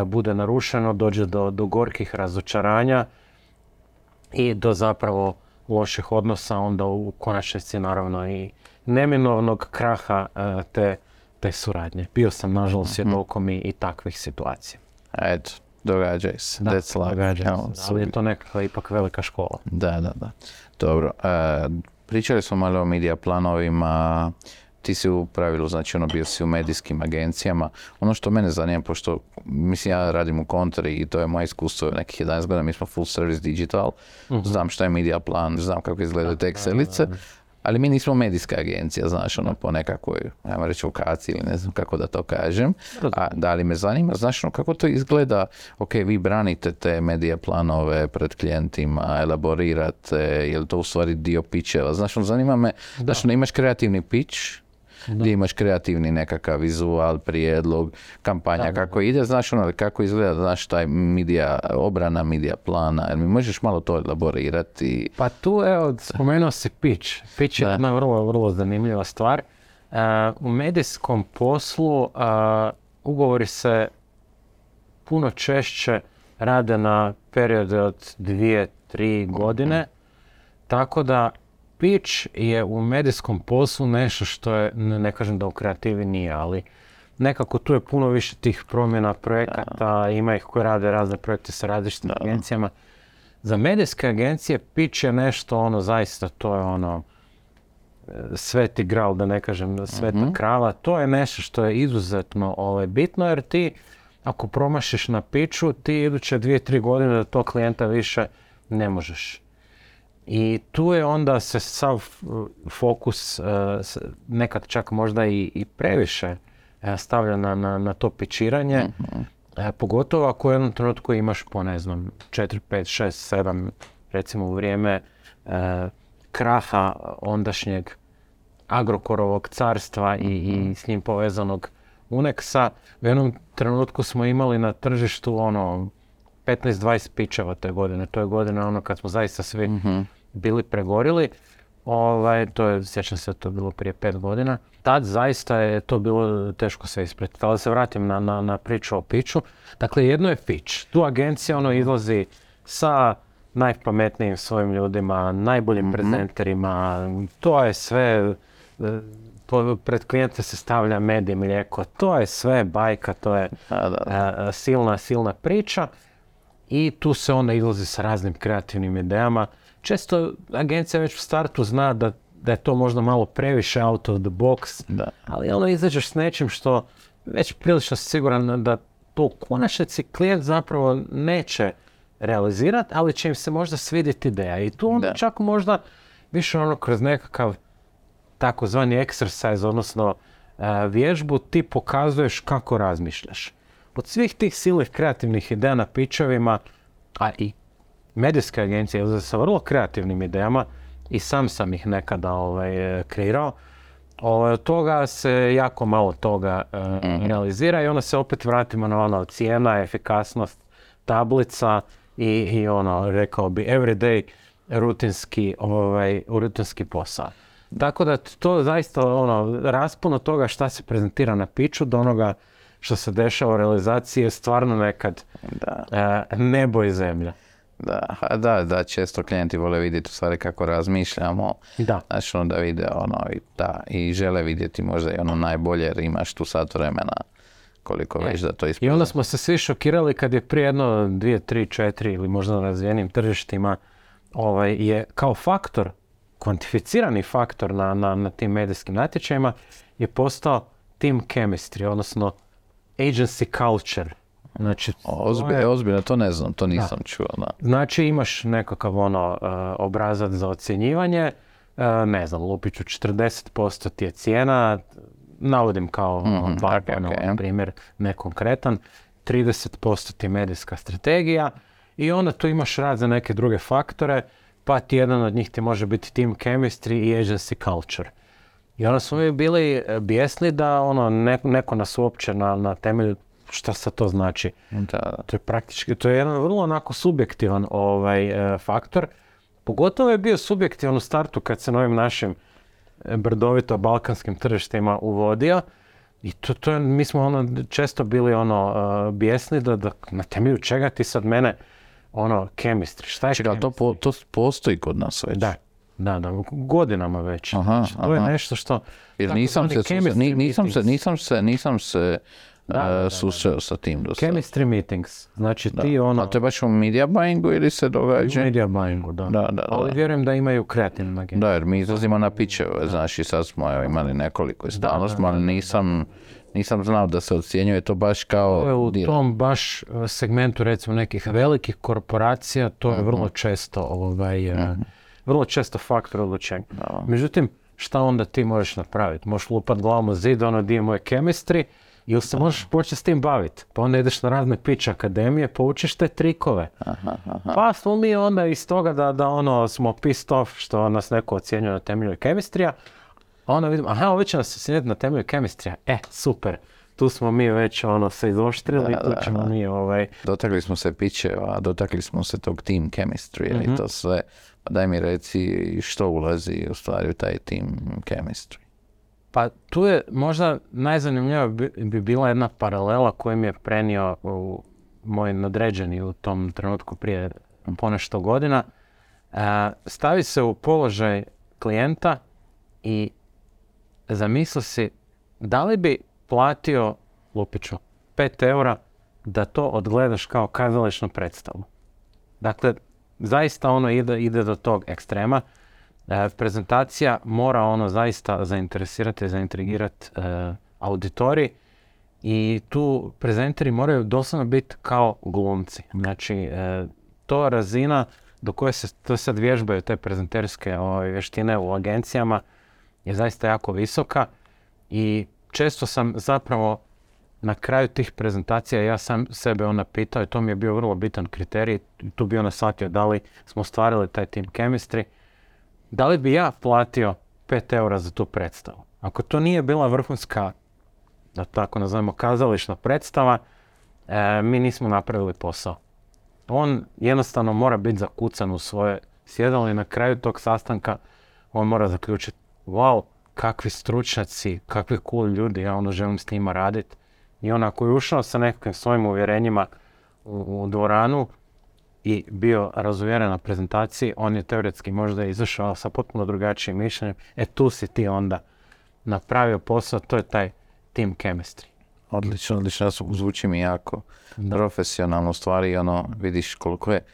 bude narušeno, dođe do gorkih razočaranja i do zapravo loših odnosa, onda u konačnici naravno i neminovnog kraha te suradnje. Bio sam nažalost svjedokom i takvih situacija. Eto, događaj se. Događaj se, ali je to nekakva ipak velika škola. Da. Dobro, pričali smo malo o medija planovima, ti si u pravilu, znači bio si u medijskim agencijama. Ono što mene zanima, pošto mislim ja radim u kontri i to je moje iskustvo nekih 11 godina, mi smo full service digital, znam šta je medija plan, znam kako izgledaju te Excelice, ali mi nismo medijska agencija, znaš, po nekakvoj, ajmo reći, vokaciji ili ne znam kako da to kažem. A da li me zanima, znaš, kako to izgleda, vi branite te medija planove pred klijentima, elaborirate, je li to u stvari dio pitcheva, znaš, zanima me, znaš, imaš kreativni pitch, gdje imaš kreativni nekakav vizual, prijedlog, kampanja, kako ide, znaš kako izgleda, znaš taj obrana medija plana, jer mi možeš malo to elaborirati? Pa tu, spomenuo si pitch. Pitch je jedna vrlo, vrlo zanimljiva stvar. U medijskom poslu ugovori se puno češće rade na periode od 2-3 godine, tako da pitch je u medijskom poslu nešto što je, ne kažem da u kreativi nije, ali nekako tu je puno više tih promjena projekata, ima ih koji rade razne projekte sa različitim agencijama. za medijske agencije pitch je nešto ono zaista, to je ono sveti gral, da ne kažem sveta krava, to je nešto što je izuzetno bitno, jer ti ako promašiš na pitchu, ti iduće 2-3 godine do tog klijenta više ne možeš. I tu je onda se sav fokus nekad čak možda i previše stavlja na to pičiranje, pogotovo ako u jednom trenutku imaš po 4, 5, 6, 7, recimo u vrijeme kraha ondašnjeg Agrokorovog carstva i s njim povezanog Unexa. U jednom trenutku smo imali na tržištu 15-20 pičeva te godine. To je godina kad smo zaista svi bili pregorili. Sjećam se, to je bilo prije 5 godina. Tad zaista je to bilo teško sve ispratiti. Ali da se vratim na priču o pitchu. Dakle, jedno je pitch. Tu agencija izlazi sa najpametnijim svojim ljudima, najboljim prezenterima. To je sve, pred klijente se stavlja med i mlijeko. To je sve bajka, to je silna priča. I tu se onda izlazi sa raznim kreativnim idejama. Često agencija već u startu zna da je to možda malo previše out of the box, ali izađeš s nečim što već prilično siguran da to u konačnici klijent zapravo neće realizirati, ali će im se možda svidjeti ideja. I tu onda čak možda više kroz nekakav takozvani exercise, odnosno vježbu, ti pokazuješ kako razmišljaš. Od svih tih silnih kreativnih ideja na pitchovima, a i medijske agencije izlaze sa vrlo kreativnim idejama i sam ih nekada kreirao. Od toga se jako malo toga realizira i onda se opet vratimo na cijena, efikasnost, tablica i rekao bi, everyday rutinski posao. Tako da to zaista raspon od toga šta se prezentira na pitchu do onoga što se dešava u realizaciji je stvarno nekad nebo i zemlja. Da, često klijenti vole vidjeti u stvari kako razmišljamo. Znači da vide i žele vidjeti možda i najbolje jer imaš tu sat vremena koliko već da to ispravlja. I onda smo se svi šokirali kad je prije 2, 3, 4 ili možda na razvijenim tržištima je kao faktor, kvantificirani faktor na tim medijskim natječajima je postao team chemistry, odnosno agency culture. Znači, ozbiljno, to ne znam, to nisam čuo. Znači imaš nekakav obrazac za ocjenjivanje, ne znam, lupiću 40% ti je cijena, navodim kao primjer nekonkretan, 30% ti je medijska strategija i onda tu imaš rad za neke druge faktore, pa ti jedan od njih ti može biti team chemistry i agency culture. I onda smo mi bili bijesni da neko nas uopće na temelju šta se to znači. To je praktički, to je jedan vrlo onako subjektivan faktor. Pogotovo je bio subjektivan u startu kad se na ovim našim brdovito balkanskim tržištima uvodio. I mi smo često bili bijesni da na temelju čega ti sad mene chemistry. Šta je chemistry? To postoji kod nas već. Da, godinama već. To je nešto što... Jer nisam se susreo sa tim do sada. Chemistry meetings. Znači ti A to je baš u media buyingu ili se događa? U media buyingu, da. Ali vjerujem da imaju kreativne agencije. Da, jer mi izlazimo na pitcheve, znači sad smo imali nekoliko i stalno smo, ali nisam znao da se ocjenjuje to baš kao... To je u tom baš segmentu recimo nekih velikih korporacija, to je vrlo često faktor odlučenja. Međutim, šta onda ti možeš napraviti? Možeš lupat glavom u zid, di je moje chemistry, ili se možeš početi s tim baviti. Pa onda ideš na razne pitch akademije, poučiš te trikove. Pa smo mi onda iz toga da smo pissed off što nas neko ocjenjuje na temelju chemistrija, a onda vidimo, ovi će nas ocjenjati na temelju chemistrija. Super. Tu smo mi već se izoštrili, tu ćemo mi Dotakli smo se pitcheva, dotakli smo se tog team chemistry i to sve. Pa daj mi reci što ulazi u stvari u taj team chemistry. Pa tu je možda najzanimljivija bi bila jedna paralela koju mi je prenio moj nadređeni u tom trenutku prije ponešto godina. Stavi se u položaj klijenta i zamisli si da li bi platio, lupiću, 5 eura da to odgledaš kao kazališnu predstavu. Dakle, zaista ono ide do tog ekstrema. Prezentacija mora zaista zainteresirati, zaintrigirati auditorij i tu prezenteri moraju doslovno biti kao glumci. Znači, to razina do koje se to sad vježbaju te prezenterske vještine u agencijama je zaista jako visoka i često sam zapravo na kraju tih prezentacija ja sam sebe pitao i to mi je bio vrlo bitan kriterij. Tu bi shvatio da li smo ostvarili taj team chemistry. Da li bi ja platio 5 eura za tu predstavu? Ako to nije bila vrhunska, da tako nazovemo, kazališna predstava, mi nismo napravili posao. On jednostavno mora biti zakucan u svoje sjedalo i na kraju tog sastanka on mora zaključiti, wow, kakvi stručnjaci, kakvi cool ljudi, ja želim s njima raditi. I ako je ušao sa nekakvim svojim uvjerenjima u dvoranu i bio razuvjeren na prezentaciji, on je teoretski možda izašao sa potpuno drugačijim mišljenjem. Tu si ti onda napravio posao, to je taj team chemistry. Odlično, zvuči mi jako profesionalno, stvari, vidiš koliko je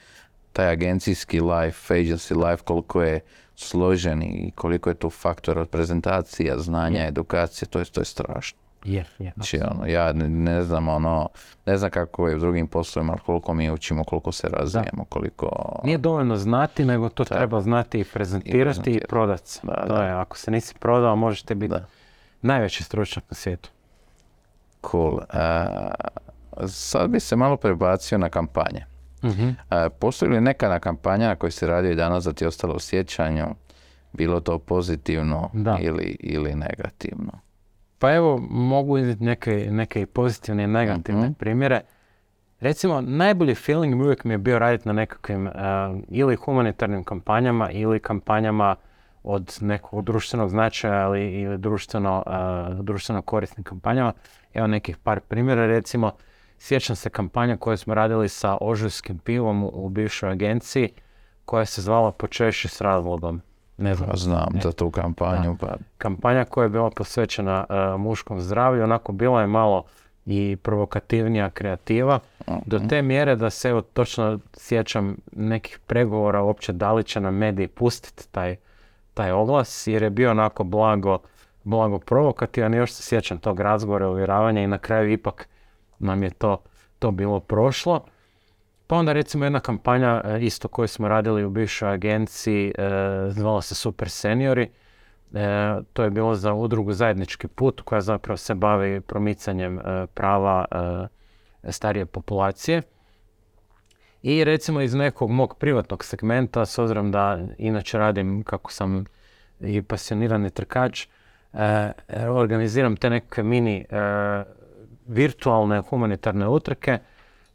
taj agencijski life, agency life, koliko je složen i koliko je tu faktor od prezentacija, znanja, edukacije, to je strašno. Znači, ja ne znam, ne znam kako je u drugim poslovima, koliko mi učimo, koliko se razvijemo, koliko... Nije dovoljno znati, nego to treba znati i prezentirati i prodati se. Ako se nisi prodao, možete biti najveći stručnjak na svijetu. Cool. Sad bi se malo prebacio na kampanje. Postoji li neka kampanja na kojoj se radio i danas da ti je ostalo u sjećanju, bilo to pozitivno ili negativno? Pa evo, mogu iznijeti neke pozitivne i negativne primjere. Recimo, najbolji feeling uvijek mi je bio raditi na nekakvim ili humanitarnim kampanjama ili kampanjama od nekog društvenog značaja ili društveno korisnim kampanjama. Evo nekih par primjera, recimo, sjećam se kampanja koju smo radili sa ožujskim pivom u bivšoj agenciji koja se zvala Počešći s razlogom. Ne znam. Znam za tu kampanju. Kampanja koja je bila posvećena muškom zdravlju, onako bila je malo i provokativnija kreativa, do te mjere da se točno sjećam nekih pregovora uopće da li će nam mediji pustiti taj oglas, jer je bio onako blago provokativan i još se sjećam tog razgovora, uvjeravanja i na kraju ipak nam je to bilo prošlo. Pa onda recimo jedna kampanja isto koju smo radili u bivšoj agenciji, zvala se Super Seniori. To je bilo za udrugu Zajednički put koja zapravo se bavi promicanjem prava starije populacije. I recimo iz nekog mog privatnog segmenta, s obzirom da inače radim kako sam i pasionirani trkač, organiziram te neke mini virtualne humanitarne utrke.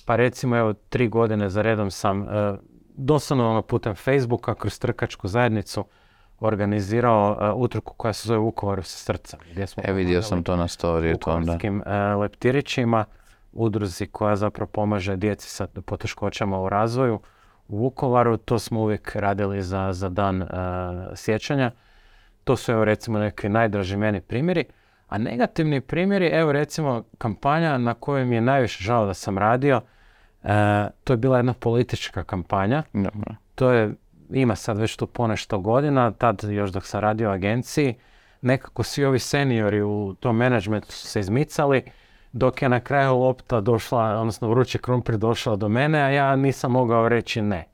Pa recimo, 3 godine za redom sam doslovno putem Facebooka kroz trkačku zajednicu organizirao utrku koja se zove Vukovaru sa srca. Vidio sam to na storiju. Vukovarskim leptirićima, udruzi koja zapravo pomaže djeci sa poteškoćama u razvoju u Vukovaru. To smo uvijek radili za dan sjećanja. To su recimo neki najdraži meni primjeri. A negativni primjeri, recimo kampanja na kojoj mi je najviše žao da sam radio, to je bila jedna politička kampanja. To ima sad već tu ponešto godina, tad još dok sam radio u agenciji, nekako svi ovi seniori u tom menadžmentu su se izmicali, dok je na kraju lopta došla, odnosno vrući krumpir došao do mene, a ja nisam mogao reći ne.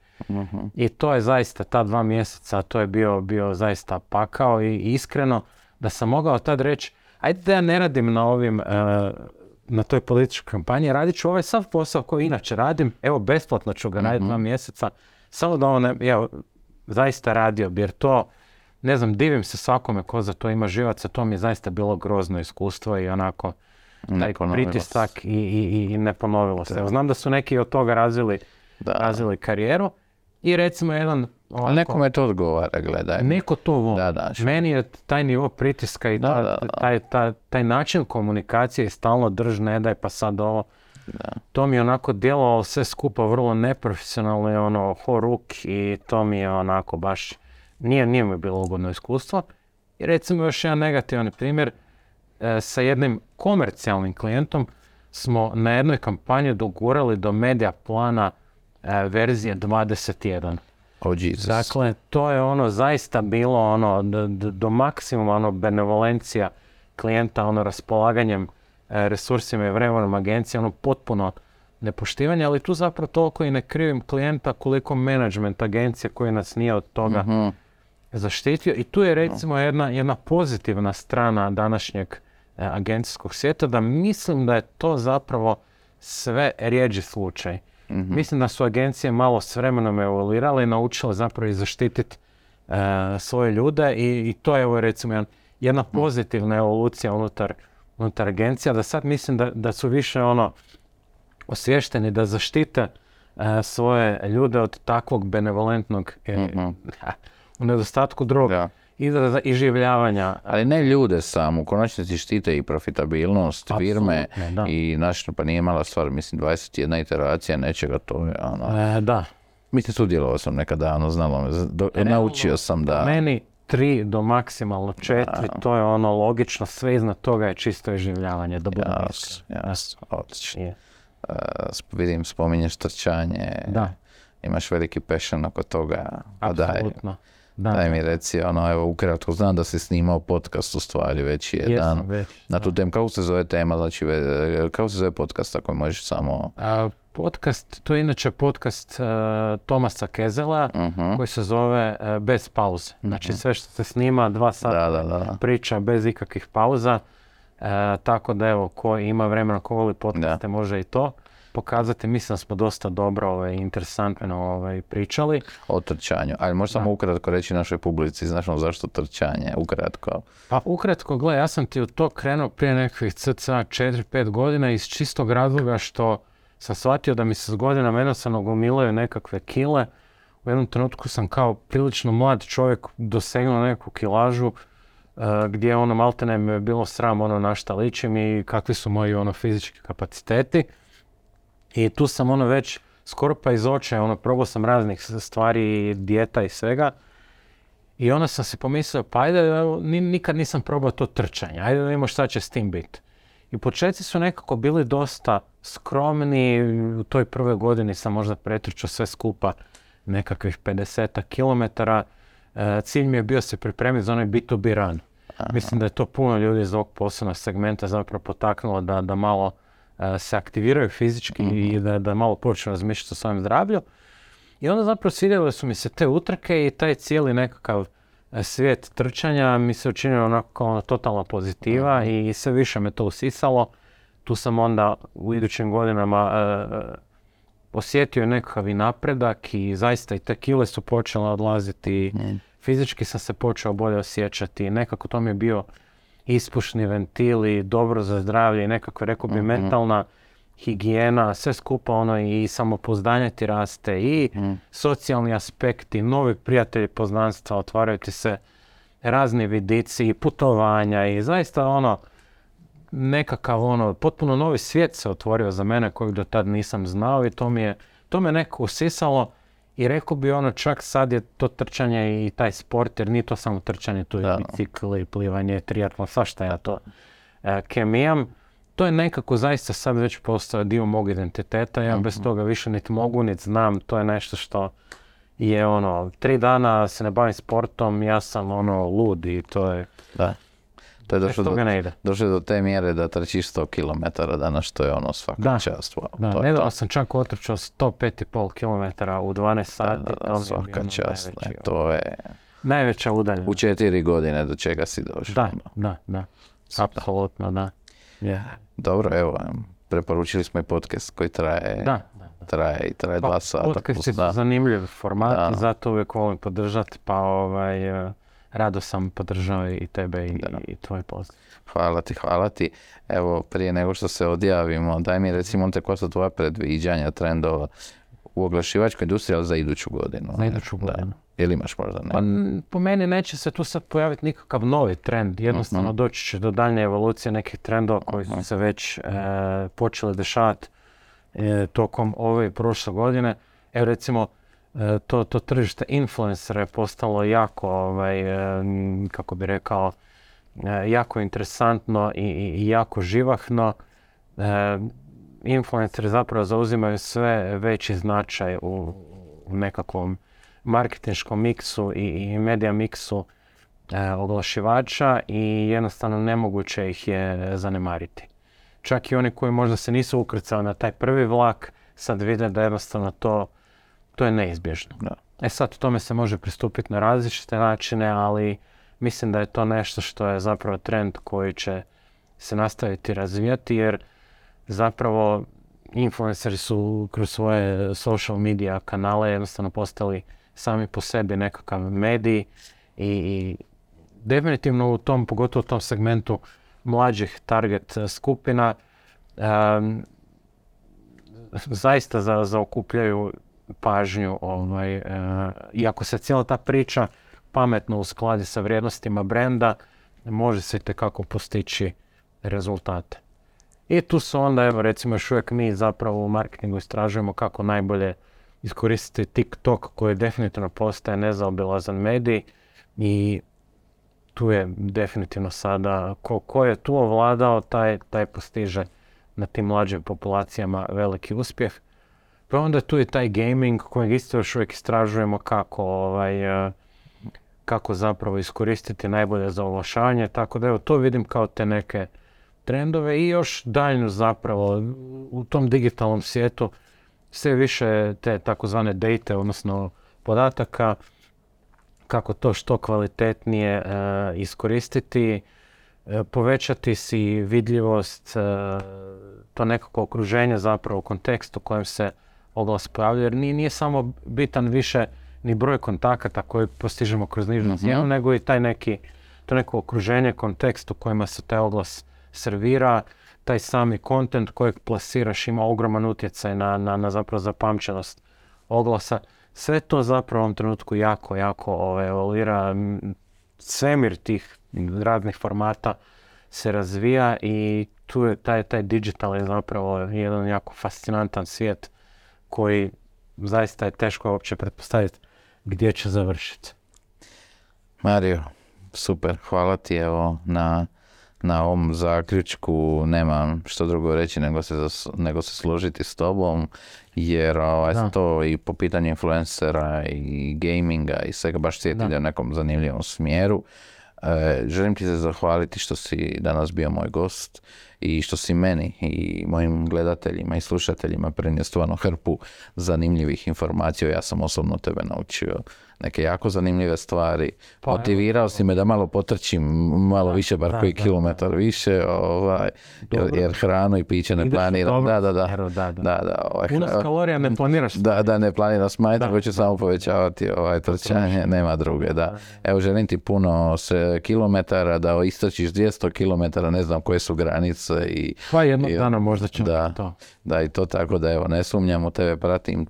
I to je zaista, ta 2 mjeseca, to je bio zaista pakao i iskreno da sam mogao tad reći, ajde da ja ne radim na toj političkoj kampanji, radit ću ovaj sav posao koji inače radim, besplatno ću ga raditi 2 mjeseca, samo da zaista radio, jer to, ne znam, divim se svakome ko za to ima živaca, to mi je zaista bilo grozno iskustvo i onako taj pritisak i ne ponovilo se. Znam da su neki od toga razvili karijeru i recimo jedan... Ali nekome to odgovara, gledaj. Neko to voli. Meni je taj nivo pritiska i taj način komunikacije stalno drž, ne daj pa sad ovo. To mi je onako djelovalo sve skupa vrlo neprofesionalno, horuk i to mi je onako baš, nije mi bilo ugodno iskustvo. I recimo još jedan negativan primjer, sa jednim komercijalnim klijentom smo na jednoj kampanji dogurali do medija plana verzije 21. Oh, Jesus. Dakle, to je ono zaista bilo ono do maksimuma ono benevolencija klijenta, ono raspolaganjem resursima i vremenom agencije, ono potpuno nepoštivanje, ali tu zapravo toliko i ne krivim klijenta koliko management agencije koji nas nije od toga zaštitio. I tu je recimo jedna pozitivna strana današnjeg agencijskog svijeta, da mislim da je to zapravo sve rjeđi slučaj. Mislim da su agencije malo s vremenom evoluirale i naučile zapravo i zaštititi svoje ljude i to je evo recimo jedna pozitivna evolucija unutar agencija, da sad mislim da su više ono osviješteni da zaštite svoje ljude od takvog benevolentnog u nedostatku drugog izraza iživljavanja. Ali ne ljude samo, u konačnici štite i profitabilnost firme i pa nije mala stvar, mislim 21 iteracija nečega, to je ono... Da. Mislim, sudjelovao sam nekada, znalo me, naučio sam da... Meni 3 do maksimalno 4, to je ono logično, sve iznad toga je čisto iživljavanje. Odlično. Vidim, spominješ trčanje, imaš veliki passion oko toga. Apsolutno. Daj mi reci, evo ukratko, znam da si snimao podcast u stvari već jedan. Na tu temu, kako se zove tema, znači, kako se zove podcast ako možeš samo... Podcast, to je inače podcast Tomasa Kezela, koji se zove Bez pauze. Znači sve što se snima 2 sata priča bez ikakvih pauza. Tako da evo, ko ima vremena, ko voli podcaste, može i to pokazati. Mislim da smo dosta dobro i interesantno pričali. O trčanju, ali možeš samo ukratko reći našoj publici, znaš zašto trčanje, ukratko? Pa ukratko, gle, ja sam ti u to krenuo prije nekakvih cca 4-5 godina iz čistog razloga što sam shvatio da mi se s godinama jednostavno gomilaju nekakve kile. U jednom trenutku sam kao prilično mlad čovjek dosegnuo neku kilažu gdje ono maltene mi je bilo sram na šta ličim i kakvi su moji fizički kapaciteti. I tu sam već skoro pa iz očaja, probao sam raznih stvari, dijeta i svega. I onda sam si pomislio, pa ajde, nikad nisam probao to trčanje, ajde da vidimo šta će s tim biti. I početci su nekako bili dosta skromni, u toj prvoj godini sam možda pretrčao sve skupa nekakvih 50 kilometara. Cilj mi je bio se pripremiti za onaj B2B run. Mislim da je to puno ljudi iz ovog poslovnog segmenta zapravo potaknulo da malo se aktiviraju fizički i da malo počnu razmišljati o svojem zdravlju. I onda zapravo svidjele su mi se te utrke i taj cijeli nekakav svijet trčanja mi se učinio onako totalna pozitiva i sve više me to usisalo. Tu sam onda u idućim godinama osjetio nekakav i napredak i zaista i te kile su počele odlaziti. Fizički sam se počeo bolje osjećati. Nekako to mi je bio ispušni ventil i dobro za zdravlje i nekako rekao bi mentalna higijena, sve skupa i samopouzdanje ti raste i socijalni aspekti, novi prijatelji, poznanstva, otvaraju ti se razni vidici i putovanja i zaista nekakav potpuno novi svijet se otvorio za mene kojeg do tad nisam znao i to me neko usisalo i rekao bi čak sad je to trčanje i taj sport, jer nije to samo trčanje, tu je bicikli, plivanje, triatlon, svašta ja to kemijam. To je nekako zaista sad već postao dio mog identiteta, ja bez toga više niti mogu, niti znam, to je nešto što je 3 dana se ne bavim sportom, ja sam lud i to je... Da. To je došlo do te mjere da trčiš 100 km danas, što je svaka čast. Wow, da, nedavno sam čak otrčao 105,5 km u 12 sati. Da, svaka čast, to je... Najveća udaljenost. U 4 godine do čega si došao. Da. Apsolutno, da. Yeah. Dobro, evo, preporučili smo i podcast koji traje 2 sata. Podcast je zanimljiv format i zato uvijek volim podržati, pa rado sam podržao i tebe i tvoj post. Hvala ti. Evo, prije nego što se odjavimo, daj mi recimo koja su tvoja predviđanja trendova u oglašivačkoj industriji, ali za iduću godinu. Za iduću godinu. Ili imaš možda ne? Pa, po meni neće se tu sad pojaviti nikakav novi trend. Jednostavno doći će do daljnje evolucije nekih trendova koji su se već počeli dešavati tokom ove i prošle godine. Evo recimo, to tržište influencera je postalo jako, kako bi rekao, jako interesantno i jako živahno. influenceri zapravo zauzimaju sve veći značaj u nekakvom marketinškom miksu i medija miksu oglašivača i jednostavno nemoguće ih je zanemariti. Čak i oni koji možda se nisu ukrcali na taj prvi vlak, sad vide da jednostavno to je neizbježno. Da. Sad tome se može pristupiti na različite načine, ali mislim da je to nešto što je zapravo trend koji će se nastaviti razvijati, jer zapravo influenceri su kroz svoje social media kanale jednostavno postali sami po sebi nekakav medij i definitivno pogotovo u tom segmentu mlađih target skupina zaista zaokupljaju pažnju. Iako se cijela ta priča pametno uskladi sa vrijednostima brenda, može se itekako postići rezultate. I tu su onda, evo recimo još uvijek mi zapravo u marketingu istražujemo kako najbolje iskoristiti TikTok koji definitivno postaje nezaobilazan medij i tu je definitivno sada ko je tu ovladao, taj postiže na tim mlađim populacijama veliki uspjeh. Pa onda tu je taj gaming kojeg isto još uvijek istražujemo kako zapravo iskoristiti najbolje za oglašavanje, tako da evo to vidim kao te neke trendove i još daljnju zapravo u tom digitalnom svijetu sve više te takozvane date, odnosno podataka, kako to što kvalitetnije iskoristiti, povećati si vidljivost, to nekako okruženje zapravo u kontekstu u kojem se oglas pojavlja, jer nije samo bitan više ni broj kontakata koji postižemo kroz nižnu cijenu, nego i to neko okruženje, kontekst u kojima se taj oglas servira, taj sami content kojeg plasiraš ima ogroman utjecaj na zapravo zapamćenost oglasa. Sve to zapravo u ovom trenutku jako evoluira. Svemir tih raznih formata se razvija i tu je taj digital je zapravo jedan jako fascinantan svijet koji zaista je teško uopće pretpostaviti gdje će završiti. Mario, super, hvala ti evo na ovom zaključku, nemam što drugo reći nego se složiti s tobom, jer to i po pitanju influencera i gaminga i svega baš ide u nekom zanimljivom smjeru. Želim ti se zahvaliti što si danas bio moj gost i što si meni i mojim gledateljima i slušateljima prenio stvarno hrpu zanimljivih informacija. Ja sam osobno tebe naučio neke jako zanimljive stvari. Motivirao si me da malo potrčim, malo više, bar koji kilometar više, jer hranu i piće ne planiram. Puno kalorija ne planiraš. Da, ne planiram smanjiti, nego ću samo povećavati trčanje, nema druge. Evo, želim ti puno kilometara, da istrčiš 200 kilometara, ne znam koje su granice. Pa jednog dana možda ćemo to. Da, i to tako da evo, ne sumnjam u tebe,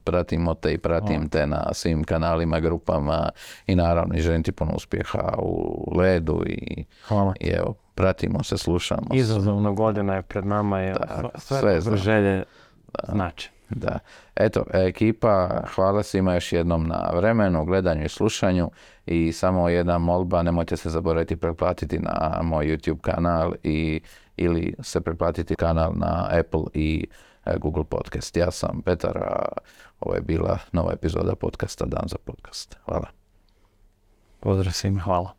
pratimo te i pratim te na svim kanalima, grupama i naravno i želim ti puno uspjeha u ledu i evo, pratimo se, slušamo. Izazovna godina je pred nama, sve želje znači. Da. Eto, ekipa, hvala svima još jednom na vremenu, gledanju i slušanju i samo jedna molba, nemojte se zaboraviti pretplatiti na moj YouTube kanal ili se pretplatiti kanal na Apple i Google Podcast. Ja sam Petar, a ovo je bila nova epizoda podcasta Dan za podcast. Hvala. Pozdrav svima, hvala.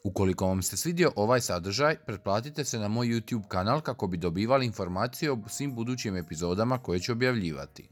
Ukoliko vam se svidio ovaj sadržaj, pretplatite se na moj YouTube kanal kako bi dobivali informacije o svim budućim epizodama koje ću objavljivati.